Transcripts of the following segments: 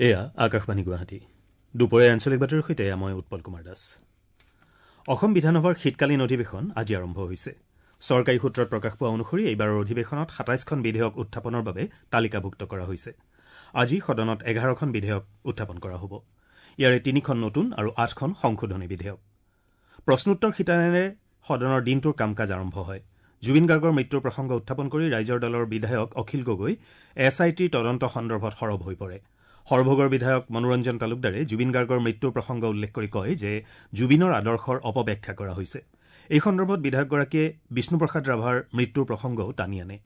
এয়া আকাশবাণী গুৱাহাটী। দুপৰীয়া আঞ্চলিক বাতৰিৰ সৈতে মই উৎপল কুমাৰ দাস। অসম বিধানসভাৰ শীতকালীন অধিৱেশন আজি আৰম্ভ হৈছে। চৰকাৰী সূত্ৰত প্ৰকাশ পোৱা অনুসৰি এইবাৰৰ অধিৱেশনত ২৭খন বিধেয়ক উত্থাপনৰ বাবে তালিকাভুক্ত কৰা হৈছে। আজি সদনত ১১খন বিধেয়ক উত্থাপন কৰা হ'ব। ইয়াৰে ৩খন নতুন আৰু ৮খন সংশোধনী বিধেয়ক। প্ৰশ্নোত্তৰ শিতানেৰে সদনৰ দিনটোৰ কাম কাজ আৰম্ভ হয়। জুবিন গাৰ্গৰ মৃত্যুৰ প্ৰসংগ উত্থাপন কৰি ৰাইজৰ দলৰ বিধায়ক অখিল গগৈ এছ I টিৰ তদন্ত সন্দৰ্ভত সৰব হৈ পৰে। সৰভোগৰ বিধায়ক মনোৰঞ্জন তালুকদাৰে জুবিন গাৰ্গৰ মৃত্যুৰ প্ৰসংগ উল্লেখ কৰি কয় যে জুবিনৰ আদৰ্শৰ অপব্যাখ্যা কৰা হৈছে। এই সন্দৰ্ভত বিধায়কগৰাকীয়ে বিষ্ণুপ্ৰসাদ ৰাভাৰ মৃত্যুৰ প্ৰসংগও টানি আনে।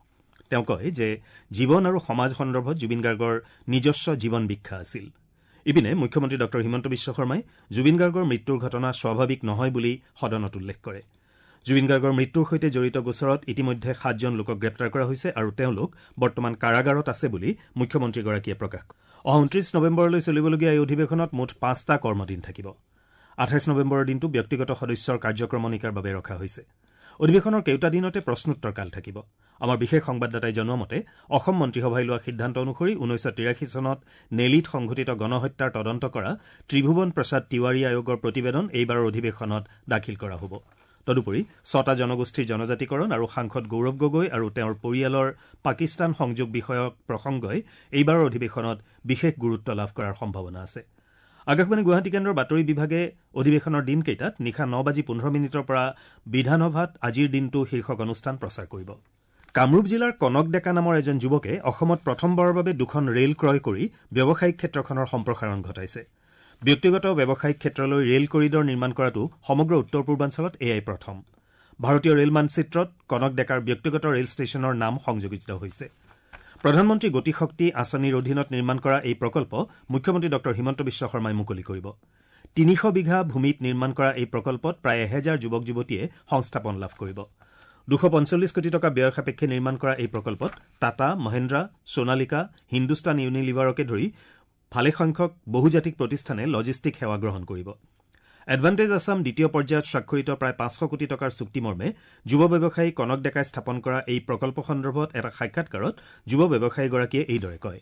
তেওঁ কয় যে জীৱন আৰু সমাজ সন্দৰ্ভত জুবিন গাৰ্গৰ নিজস্ব জীৱন বীক্ষা আছিল। ইপিনে মুখ্যমন্ত্ৰী ডঃ হিমন্ত বিশ্ব শৰ্মাই জুবিন গাৰ্গৰ মৃত্যুৰ ঘটনা স্বাভাৱিক নহয় বুলি সদনত উল্লেখ কৰে। জুবিন গাৰ্গৰ মৃত্যুৰ সৈতে জড়িত গোচৰত ইতিমধ্যে ৭জন লোকক গ্ৰেপ্তাৰ কৰা হৈছে আৰু তেওঁলোক বৰ্তমান কাৰাগাৰত আছে বুলি মুখ্যমন্ত্ৰীগৰাকীয়ে প্ৰকাশ কৰে। অহা ২৯ নৱেম্বৰলৈ চলিবলগীয়া এই অধিৱেশনত মুঠ ৫টা কৰ্মদিন থাকিব। ২৮ নৱেম্বৰৰ দিনটো ব্যক্তিগত সদস্যৰ কাৰ্যক্ৰমণিকাৰ বাবে ৰখা হৈছে। অধিৱেশনৰ কেইটা দিনতে প্ৰশ্নোত্তৰ কাল থাকিব। আমাৰ বিশেষ সংবাদদাতাই জনোৱা মতে অসম মন্ত্ৰীসভাই লোৱা সিদ্ধান্ত অনুসৰি ১৯৮৩ চনত নেলিত সংঘটিত গণহত্যাৰ তদন্ত কৰা ত্ৰিভুৱন প্ৰসাদ তিৱাৰী আয়োগৰ প্ৰতিবেদন এইবাৰৰ অধিৱেশনত দাখিল কৰা হ'ব। তদুপৰি ৬টা জনগোষ্ঠীৰ জনজাতিকৰণ আৰু সাংসদ গৌৰৱ গগৈ আৰু তেওঁৰ পৰিয়ালৰ পাকিস্তান সংযোগ বিষয়ক প্ৰসংগই এইবাৰৰ অধিৱেশনত বিশেষ গুৰুত্ব লাভ কৰাৰ সম্ভাৱনা আছে। আকাশবাণী গুৱাহাটী কেন্দ্ৰৰ বাতৰি বিভাগে অধিৱেশনৰ দিনকেইটাত নিশা ৯:১৫ পৰা বিধানসভাত আজিৰ দিনটো শীৰ্ষক অনুষ্ঠান প্ৰচাৰ কৰিব। কামৰূপ জিলাৰ কনক ডেকা নামৰ এজন যুৱকে অসমত প্ৰথমবাৰৰ বাবে ২খন ৰেল ক্ৰয় কৰি ব্যৱসায়িক ক্ষেত্ৰখনৰ সম্প্ৰসাৰণ ঘটাইছে। ব্যক্তিগত ব্যৱসায়িক ক্ষেত্ৰলৈ ৰেল কৰিডৰ নিৰ্মাণ কৰাটো সমগ্ৰ উত্তৰ পূৰ্বাঞ্চলত এয়াই প্ৰথম। ভাৰতীয় ৰেল মানচিত্ৰত কনক ডেকাৰ ব্যক্তিগত ৰেল ষ্টেচনৰ নাম সংযোজিত হৈছে। প্ৰধানমন্ত্ৰী গতিশক্তি আঁচনিৰ অধীনত নিৰ্মাণ কৰা এই প্ৰকল্প মুখ্যমন্ত্ৰী ডঃ হিমন্ত বিশ্ব শৰ্মাই মুকলি কৰিব। ৩০০ বিঘা ভূমিত নিৰ্মাণ কৰা এই প্ৰকল্পত প্ৰায় ১০০০ যুৱক যুৱতীয়ে সংস্থাপন লাভ কৰিব। ২৪৫ কোটি টকা ব্যয় সাপেক্ষে নিৰ্মাণ কৰা এই প্ৰকল্পত টাটা, মহেন্দ্ৰা, সোণালিকা, হিন্দুস্তান ইউনিলিভাৰকে ধৰি ভালেসংখ্যক বহুজাতিক প্ৰতিষ্ঠানে লজিষ্টিক সেৱা গ্ৰহণ কৰিব। এডভান্টেজ আছাম দ্বিতীয় পৰ্যায়ত স্বাক্ষৰিত প্ৰায় ৫০০ কোটি টকাৰ চুক্তিমৰ্মে যুৱ ব্যৱসায়ী কনক ডেকাই স্থাপন কৰা এই প্ৰকল্প সন্দৰ্ভত এটা সাক্ষাৎকাৰত যুৱ ব্যৱসায়ীগৰাকীয়ে এইদৰে কয়।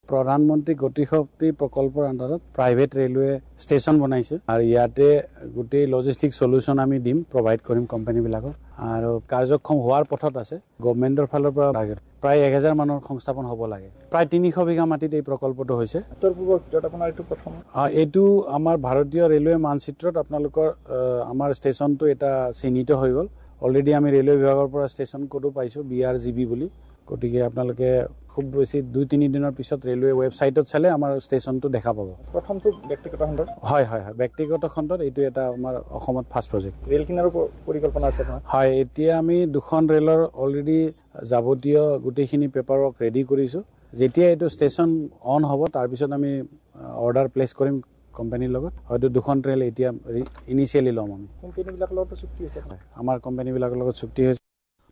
প্ৰধানমন্ত্ৰী গতিশক্তি প্ৰকল্পৰ আণ্ডাৰত প্ৰাইভেট ৰেলৱে ষ্টেচন বনাইছে আৰু ইয়াতে গোটেই লজিষ্টিক চলিউশ্যন আমি দিম, প্ৰভাইড কৰিম কোম্পানীবিলাকক আৰু কাৰ্যক্ষম হোৱাৰ পথত আছে। গভমেণ্টৰ ফালৰ পৰা প্ৰায় ১০০০ মানুহৰ সংস্থাপন হ'ব লাগে। প্ৰায় ৩০০ বিঘা মাটিত এই প্ৰকল্পটো হৈছে। উত্তৰ পূৰ্বৰ ভিতৰত আপোনাৰ এইটো প্ৰথম। এইটো আমাৰ ভাৰতীয় ৰেলৱে মানচিত্ৰত আপোনালোকৰ আমাৰ ষ্টেচনটো এটা চিহ্নিত হৈ গ'ল। অলৰেডি আমি ৰেলৱে বিভাগৰ পৰা ষ্টেচন কোডো পাইছোঁ, BRGB বুলি। গতিকে আপোনালোকে খুব বেছি ২-৩ দিনৰ পিছত ৰেলৱে ৱেবছাইটত চালে আমাৰ ষ্টেচনটো দেখা পাব। প্ৰথমটো ব্যক্তিগত খণ্ডত? হয় হয় হয়, ব্যক্তিগত খণ্ডত এইটো এটা আমাৰ অসমত ফাৰ্ষ্ট প্ৰজেক্ট। ৰেল কিনাৰো পৰিকল্পনা আছে? হয়, এতিয়া আমি ২খন ৰেলৰ অলৰেডি যাৱতীয় গোটেইখিনি পেপাৰ ৱৰ্ক ৰেডি কৰিছোঁ। যেতিয়া এইটো ষ্টেচন অন হ'ব তাৰপিছত আমি অৰ্ডাৰ প্লেচ কৰিম কোম্পানীৰ লগত। হয়তো ২খন ৰেল এতিয়া ইনিচিয়েলি ল'ম আমি। কোম্পানীবিলাকৰ লগত চুক্তি হৈছে? আমাৰ কোম্পানীবিলাকৰ লগত চুক্তি হৈছে।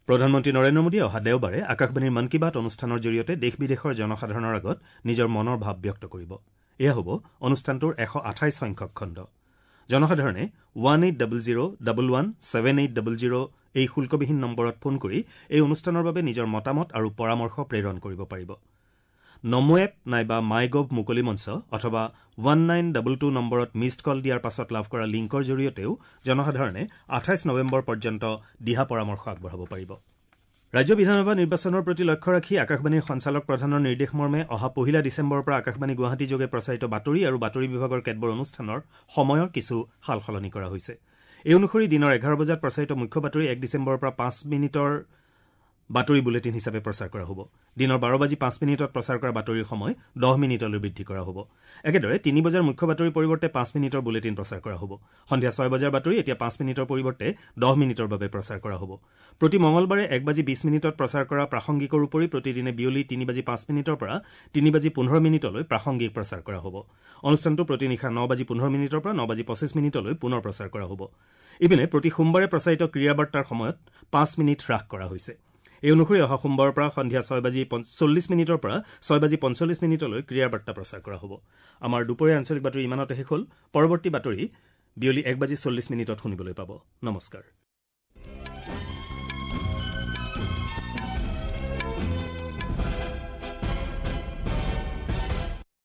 প্ৰধানমন্ত্ৰী নৰেন্দ্ৰ মোদীয়ে অহা দেওবাৰে আকাশবাণীৰ মন কী বাত অনুষ্ঠানৰ জৰিয়তে দেশ বিদেশৰ জনসাধাৰণৰ আগত নিজৰ মনৰ ভাৱ ব্যক্ত কৰিব। এয়া হ'ব অনুষ্ঠানটোৰ ১২৮ সংখ্যক খণ্ড। জনসাধাৰণে 1800117800 এই শুল্কবিহীন নম্বৰত ফোন কৰি এই অনুষ্ঠানৰ বাবে নিজৰ মতামত আৰু পৰামৰ্শ প্ৰেৰণ কৰিব পাৰিব। নমো এপ নাইবা মাই গভ মুকলি মঞ্চ অথবা 1922 নম্বৰত মিছড কল দিয়াৰ পাছত লাভ কৰা লিংকৰ জৰিয়তেও জনসাধাৰণে ২৮ নৱেম্বৰ পৰ্যন্ত দিহা পৰামৰ্শ আগবঢ়াব পাৰিব। ৰাজ্য বিধানসভা নিৰ্বাচনৰ প্ৰতি লক্ষ্য ৰাখি আকাশবাণীৰ সঞ্চালক প্ৰধানৰ নিৰ্দেশ মৰ্মে অহা ১ ডিচেম্বৰৰ পৰা আকাশবাণী গুৱাহাটী যোগে প্ৰচাৰিত বাতৰি আৰু বাতৰি বিভাগৰ কেতবোৰ অনুষ্ঠানৰ সময়ৰ কিছু সাল সলনি কৰা হৈছে। এই অনুসৰি দিনৰ ১১ বজাত প্ৰচাৰিত মুখ্য বাতৰি ১ ডিচেম্বৰৰ পৰা ৫ মিনিটৰ বাতৰি বুলেটিন হিচাপে প্ৰচাৰ কৰা হ'ব। দিনৰ ১২:০৫ প্ৰচাৰ কৰা বাতৰিৰ সময় ১০ মিনিটলৈ বৃদ্ধি কৰা হ'ব। একেদৰে ৩ বজাৰ মুখ্য বাতৰিৰ পৰিৱৰ্তে ৫ মিনিটৰ বুলেটিন প্ৰচাৰ কৰা হ'ব। সন্ধিয়া ৬ বজাৰ বাতৰি এতিয়া ৫ মিনিটৰ পৰিৱৰ্তে ১০ মিনিটৰ বাবে প্ৰচাৰ কৰা হ'ব। প্ৰতি মঙলবাৰে ১:২০ প্ৰচাৰ কৰা প্ৰাসংগিকৰ উপৰি প্ৰতিদিনে বিয়লি ৩:০৫ পৰা ৩:১৫ প্ৰাসংগিক প্ৰচাৰ কৰা হ'ব। অনুষ্ঠানটো প্ৰতি নিশা ৯:১৫ পৰা ৯:২৫ পুনৰ প্ৰচাৰ কৰা হ'ব। ইপিনে প্ৰতি সোমবাৰে প্ৰচাৰিত ক্ৰীড়া বাৰ্তাৰ সময়ত ৫ মিনিট হ্ৰাস কৰা হৈছে। এই অনুসৰি অহা সোমবাৰৰ পৰা সন্ধিয়া ৬:৪০ পৰা ৬:৪৫ ক্ৰীড়া বাৰ্তা প্ৰচাৰ কৰা হ'ব। আমাৰ দুপৰীয়া আঞ্চলিক বাতৰি ইমানতে শেষ হ'ল। পৰৱৰ্তী বাতৰি বিয়লি ১:৪০ শুনিবলৈ পাব। নমস্কাৰ।